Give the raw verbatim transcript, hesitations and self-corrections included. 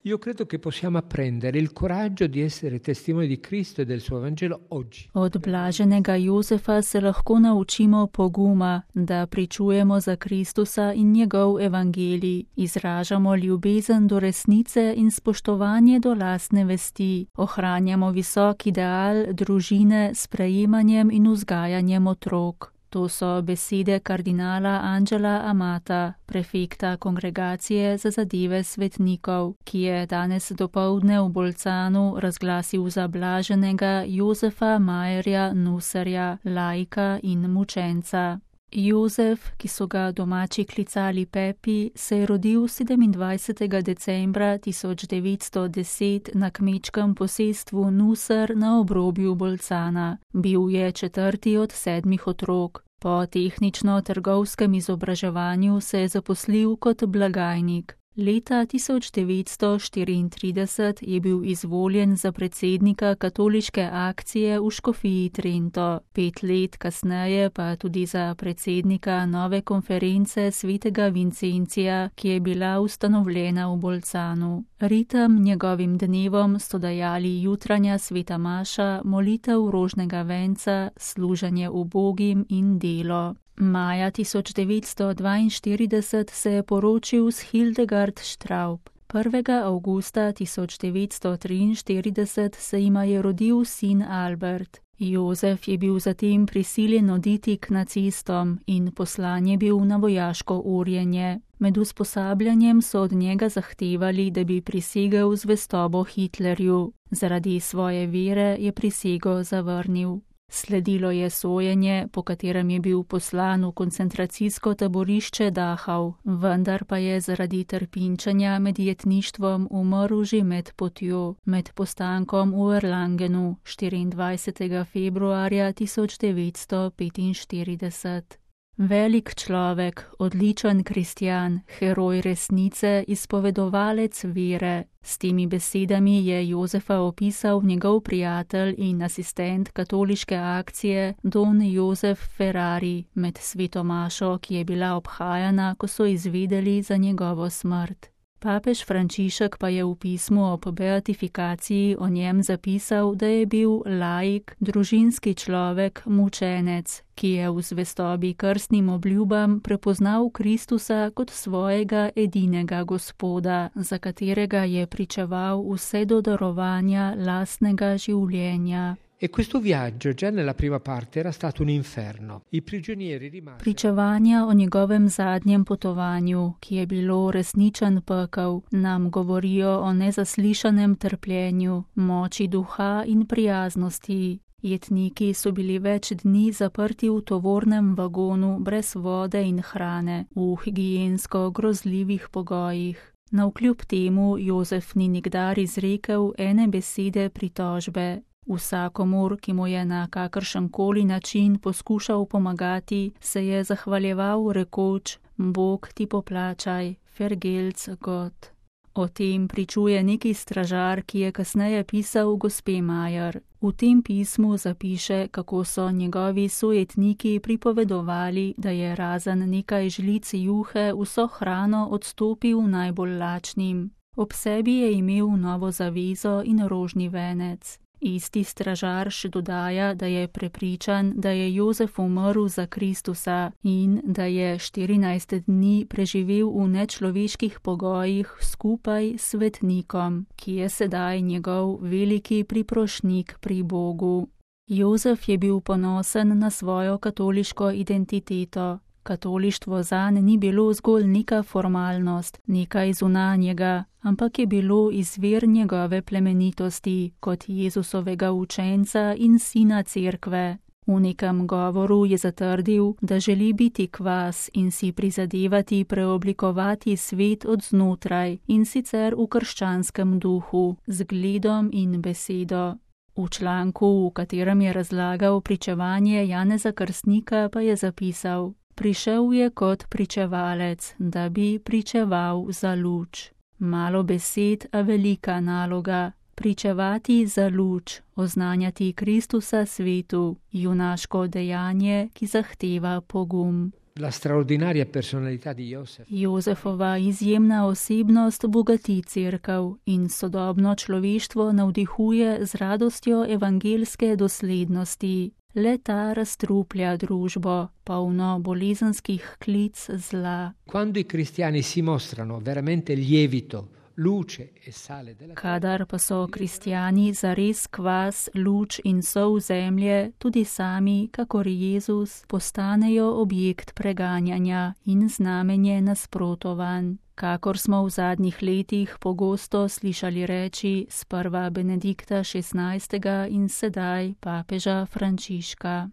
Io credo che possiamo apprendere il coraggio di essere testimoni di Cristo e del suo Vangelo oggi. Od blaženega Jozefa se lahko naučimo poguma, da pričujemo za Kristusa in njegov evangelij, izražamo ljubezen do resnice in spoštovanje do lastne vesti, ohranjamo visok ideal družine s prejemanjem in vzgajanjem otrok. To so besede kardinala Angela Amata, prefekta Kongregacije za zadeve svetnikov, ki je danes dopoldne v Bolcanu razglasil za blaženega Jozefa Majerja Nuserja, laika in mučenca. Jozef, ki so ga domači klicali Pepi, se je rodil sedemindvajsetega decembra tisoč devetsto deset na kmečkem posestvu Nuser na obrobju Bolcana. Bil je četrti od sedmih otrok. Po tehnično-trgovskem izobraževanju se je zaposlil kot blagajnik. Leta tisoč devetsto štiriintrideset je bil izvoljen za predsednika katoliške akcije v Škofiji Trento, pet let kasneje pa tudi za predsednika nove konference svetega Vincencija, ki je bila ustanovljena v Bolcanu. Ritem njegovim dnevom so dajali jutranja sveta maša, molitev rožnega venca, služenje ubogim in delo. Maja tisoč devetsto dvainštirideset se je poročil s Hildegard Straub. prvega avgusta tisoč devetsto triinštirideset se jima je rodil sin Albert. Jozef je bil zatem prisiljen oditi k nacistom in poslan je bil na vojaško urjenje. Med usposabljanjem so od njega zahtevali, da bi prisegel zvestobo Hitlerju. Zaradi svoje vere je prisego zavrnil. Sledilo je sojenje, po katerem je bil poslan v koncentracijsko taborišče Dachau, vendar pa je zaradi trpinčenja med jetništvom umrl že med potjo, med postankom v Erlangenu štiriindvajsetega februarja tisoč devetsto petinštirideset. Velik človek, odličen kristjan, heroj resnice, izpovedovalec vere. S temi besedami je Jozefa opisal njegov prijatelj in asistent katoliške akcije Don Jozef Ferrari med sveto mašo, ki je bila obhajana, ko so izvedeli za njegovo smrt. Papež Frančišek pa je v pismu ob beatifikaciji o njem zapisal, da je bil laik, družinski človek, mučenec, ki je v zvestobi krstnim obljubam prepoznal Kristusa kot svojega edinega Gospoda, za katerega je pričeval vse do darovanja lastnega življenja. E questo viaggio già nella prima parte era stato un inferno. I prigionieri rimasti... Pričevanja o njegovem zadnjem potovanju, ki je bilo resničen pekel, nam govorijo o nezaslišanem trpljenju, moči duha in prijaznosti. Jetniki so bili več dni zaprti v tovornem vagonu brez vode in hrane, v higiensko grozljivih pogojih. Navkljub temu Jozef ni nikdar izrekel ene besede pritožbe. Vsakomur, ki mu je na kakršenkoli način poskušal pomagati, se je zahvaljeval rekoč: Bog ti poplačaj, vergelt's Gott. O tem pričuje neki stražar, ki je kasneje pisal gospe Majer. V tem pismu zapiše, kako so njegovi sojetniki pripovedovali, da je razen nekaj žlic juhe vso hrano odstopil najbolj lačnim. Ob sebi je imel novo zavezo in rožni venec. Isti stražar še dodaja, da je prepričan, da je Jozef umrl za Kristusa in da je štirinajst dni preživel v nečloveških pogojih skupaj s svetnikom, ki je sedaj njegov veliki priprošnik pri Bogu. Jozef je bil ponosen na svojo katoliško identiteto. Katolištvo zanj ni bilo zgolj neka formalnost, nekaj zunanjega, ampak je bilo izvir njegove plemenitosti kot Jezusovega učenca in sina cerkve. V nekem govoru je zatrdil, da želi biti kvas in si prizadevati preoblikovati svet od znotraj, in sicer v krščanskem duhu, z gledom in besedo. V članku, v katerem je razlagal pričevanje Janeza Krstnika, pa je zapisal: Prišel je kot pričevalec, da bi pričeval za luč. Malo besed, a velika naloga. Pričevati za luč, oznanjati Kristusa svetu, junaško dejanje, ki zahteva pogum. La straordinaria personalità di Josef. Jozefova izjemna osebnost bogati cerkev in sodobno človeštvo navdihuje z radostjo evangelske doslednosti. Le ta razstruplja družbo, polno bolezenskih klic zla. Quando i cristiani si mostrano veramente lievito, luce e sale della terra, Kadar pa so kristjani zares kvas, luč in sol zemlje, tudi sami, kakor Jezus, postanejo objekt preganjanja in znamenje nasprotovanj. Kakor smo v zadnjih letih pogosto slišali reči sprva Benedikta šestnajstega in sedaj papeža Frančiška.